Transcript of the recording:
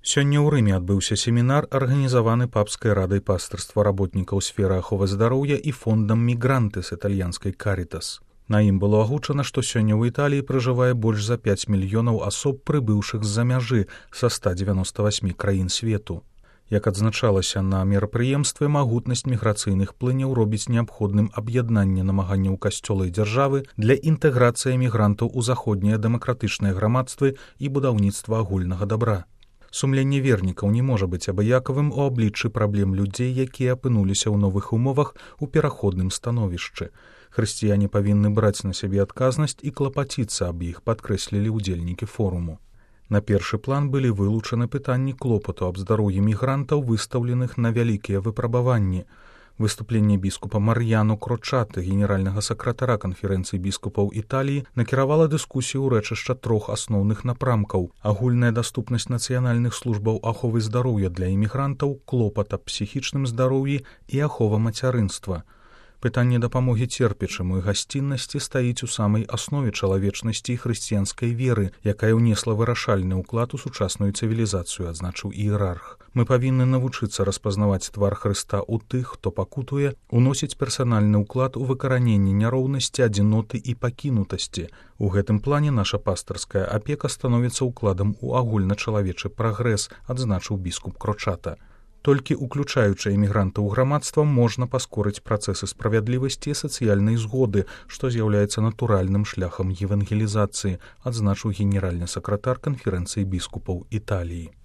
Сёння ў Рыме адбыўся семінар, арганізаваны папскай радай пастырства работнікаў сферы аховы здароўя і фондам «Мігранты» з італьянскай «Карітас». На ім было агучана, што сёння ў Італіі пражывае больш за 5 мільёнаў асоб, прыбыўшых з-за мяжы са 198 краін свету. Як адзначалася на мерапрыемстве, магутнасць міграцыйных плыняў робіць неабходным аб'яднанне намаганняў касцёла і дзяржавы для інтэграцыі мігрантаў у заходнія дэмакратычныя грамадствы і будаўніцтва агульнага дабра. Сумленне вернікаў не можа быць абыякавым у абліччы праблем людзей, якія апынуліся ў новых умовах у пераходным становішчы. Хрысціяне павінны браць на сябе адказнасць і клапаціцца аб іх, падкрэслілі ўдзельнікі форуму. На першы план былі вылучаны пытанні клопату аб здароўі мігрантаў, выстаўленых на вялікія выпрабаванні. Выступленне біскупа Мар'яно Крочаты, генеральнага сакратара канферэнцыі біскупаў Італіі, накіравала дыскусію ў рэчышча 3 асноўных напрамкаў: агульная даступнасць нацыянальных службаў аховы здароўя для імігрантаў, клопат аб псіхічным здароўі і ахова мацярынства. Пытанне дапамогі церпячаму і гасціннасці стаіць у самай аснове чалавечнасці і хрысціянскай веры, якая ўнесла вырашальны ўклад у сучасную цывілізацыю, адзначыў іерарх. Мы павінны навучыцца распазнаваць твар Хрыста ў тых, хто пакутуе, уносіць персанальны ўклад у выкараненне няроўнасці, адзіноты і пакінутасці. У гэтым плане наша пастырская апека становіцца ўкладам у агульначалавечы прагрэс, адзначыў біскуп Крочата. Толькі уключаючы эмігрантаў у грамадства можна паскорыць працэсы справядлівасці і сацыяльнай згоды, што з'яўляецца натуральным шляхам евангелізацыі, адзначыў генеральны сакратар канферэнцыі біскупаў Італіі.